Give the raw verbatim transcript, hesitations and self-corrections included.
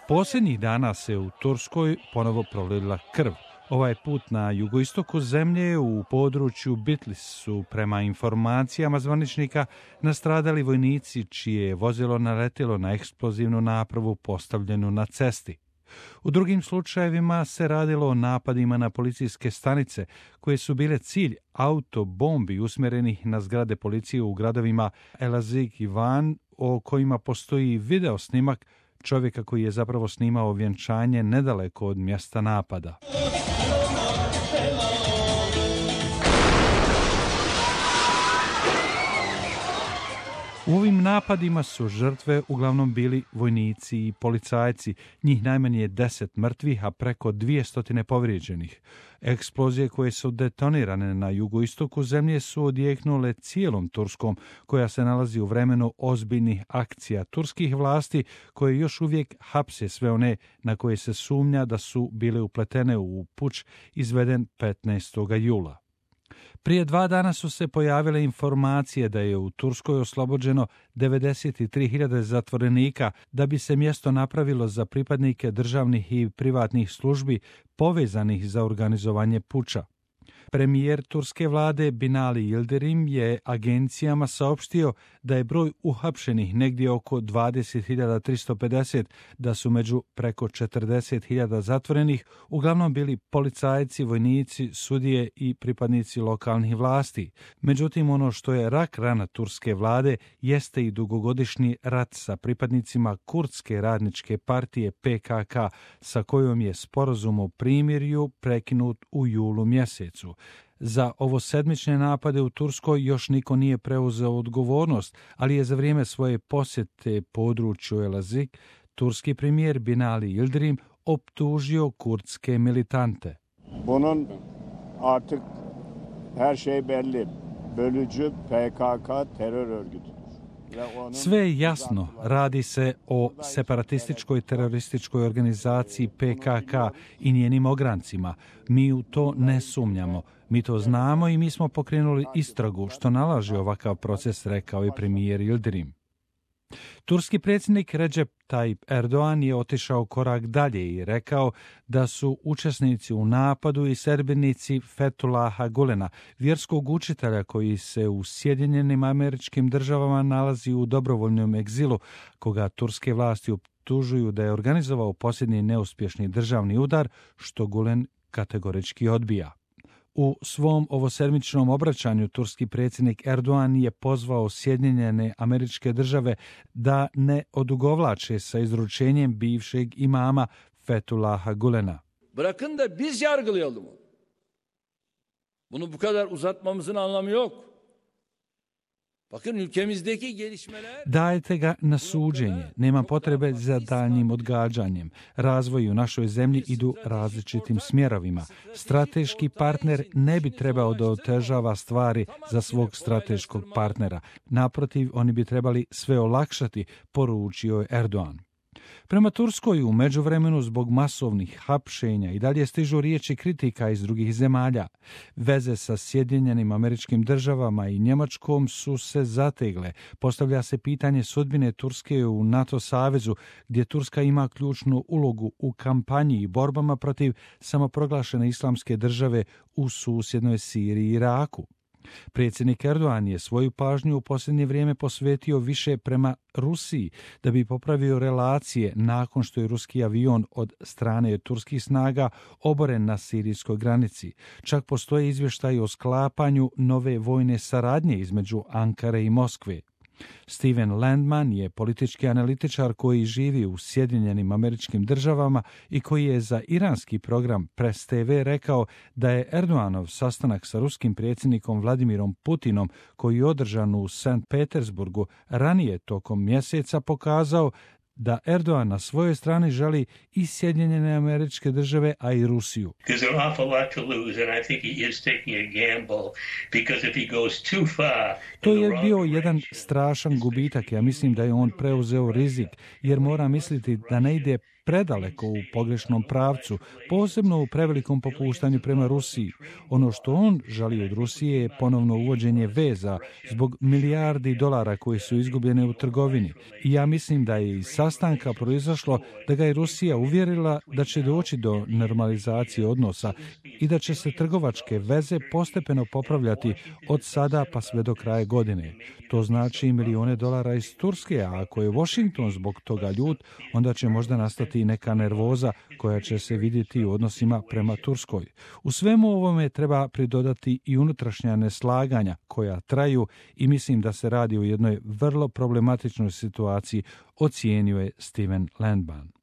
Posljednjih dana se u Turskoj ponovo prolila krv. Ovaj put na jugoistoku zemlje u području Bitlis su prema informacijama zvaničnika nastradali vojnici čije je vozilo naletilo na eksplozivnu napravu postavljenu na cesti. U drugim slučajevima se radilo o napadima na policijske stanice koje su bile cilj autobombi usmjerenih na zgrade policije u gradovima Elazig i Van, o kojima postoji video snimak čovjeka koji je zapravo snimao vjenčanje nedaleko od mjesta napada. U ovim napadima su žrtve uglavnom bili vojnici i policajci, njih najmanje deset mrtvih, a preko dvjesto povrijeđenih. Eksplozije koje su detonirane na jugoistoku zemlje su odjeknule cijelom Turskom, koja se nalazi u vremenu ozbiljnih akcija turskih vlasti, koje još uvijek hapse sve one na koje se sumnja da su bile upletene u puč izveden petnaestog jula. Prije dva dana su se pojavile informacije da je u Turskoj oslobođeno devedeset tri hiljade zatvorenika da bi se mjesto napravilo za pripadnike državnih i privatnih službi povezanih za organizovanje puča. Premijer turske vlade Binali Yildirim je agencijama saopštio da je broj uhapšenih negdje oko dvadeset hiljada tristo pedeset, da su među preko četrdeset hiljada zatvorenih uglavnom bili policajci, vojnici, sudije i pripadnici lokalnih vlasti. Međutim, ono što je rak rana turske vlade jeste i dugogodišnji rat sa pripadnicima Kurdske radničke partije P K K, sa kojom je sporazum o primirju prekinut u julu mjesecu. Za ovosedmične napade u Turskoj još niko nije preuzeo odgovornost, ali je za vrijeme svoje posjete području Elazig turski premijer Binali Yildirim optužio kurdske militante. Bunun artık her şey belli. Bölücü P K K terör örgütü. Sve je jasno, radi se o separatističkoj terorističkoj organizaciji P K K i njenim ograncima. Mi u to ne sumnjamo. Mi to znamo i mi smo pokrenuli istragu što nalaže ovakav proces, rekao je premijer Yildirim. Turski predsjednik Recep Tayyip Erdoğan je otišao korak dalje i rekao da su učesnici u napadu i sedbenici Fethullaha Gulena, vjerskog učitelja koji se u Sjedinjenim Američkim Državama nalazi u dobrovoljnom egzilu, koga turske vlasti optužuju da je organizovao posljednji neuspješni državni udar, što Gulen kategorički odbija. U svom ovosedmičnom obraćanju turski predsjednik Erdoğan je pozvao Sjedinjene Američke Države da ne odugovlače sa izručenjem bivšeg imama Fethullaha Gulena. Bırakın da biz yargılayalım onu. Bunu bu kadar uzatmamızın anlamı yok. Bakın ülkemizdeki gelişmeler... Dajte ga na suđenje. Nema potrebe za daljnjim odgađanjem. Razvoj u našoj zemlji idu različitim smjerovima. Strateški partner ne bi trebao da otežava stvari za svog strateškog partnera. Naprotiv, oni bi trebali sve olakšati, poručio je Erdoğan. Prema Turskoj u međuvremenu zbog masovnih hapšenja i dalje stižu riječi kritika iz drugih zemalja. Veze sa Sjedinjenim Američkim Državama i Njemačkom su se zategle. Postavlja se pitanje sudbine Turske u NATO savezu, gdje Turska ima ključnu ulogu u kampanji i borbama protiv samoproglašene islamske države u susjednoj Siriji i Iraku. Predsjednik Erdoğan je svoju pažnju u posljednje vrijeme posvetio više prema Rusiji da bi popravio relacije nakon što je ruski avion od strane turskih snaga oboren na sirijskoj granici. Čak postoje izvještaji o sklapanju nove vojne saradnje između Ankare i Moskve. Steven Landman je politički analitičar koji živi u Sjedinjenim Američkim Državama i koji je za iranski program Press T V rekao da je Erdoğanov sastanak sa ruskim predsjednikom Vladimirom Putinom, koji je održan u Sankt Petersburgu ranije tokom mjeseca, pokazao da Erdoğan na svojoj strani želi i Sjedinjene Američke Države, a i Rusiju. To je bio jedan strašan gubitak. Ja mislim da je on preuzeo rizik, jer mora misliti da ne ide predaleko u pogrešnom pravcu, posebno u prevelikom popuštanju prema Rusiji. Ono što on želi od Rusije je ponovno uvođenje veza zbog milijardi dolara koji su izgubljene u trgovini. I ja mislim da je iz sastanka proizašlo da ga je Rusija uvjerila da će doći do normalizacije odnosa i da će se trgovačke veze postepeno popravljati od sada pa sve do kraja godine. To znači milijune dolara iz Turske, a ako je Washington zbog toga ljut, onda će možda nastati neka nervoza koja će se vidjeti u odnosima prema Turskoj. U svemu ovome treba pridodati i unutrašnja neslaganja koja traju i mislim da se radi o jednoj vrlo problematičnoj situaciji, ocijenio je Steven Landban.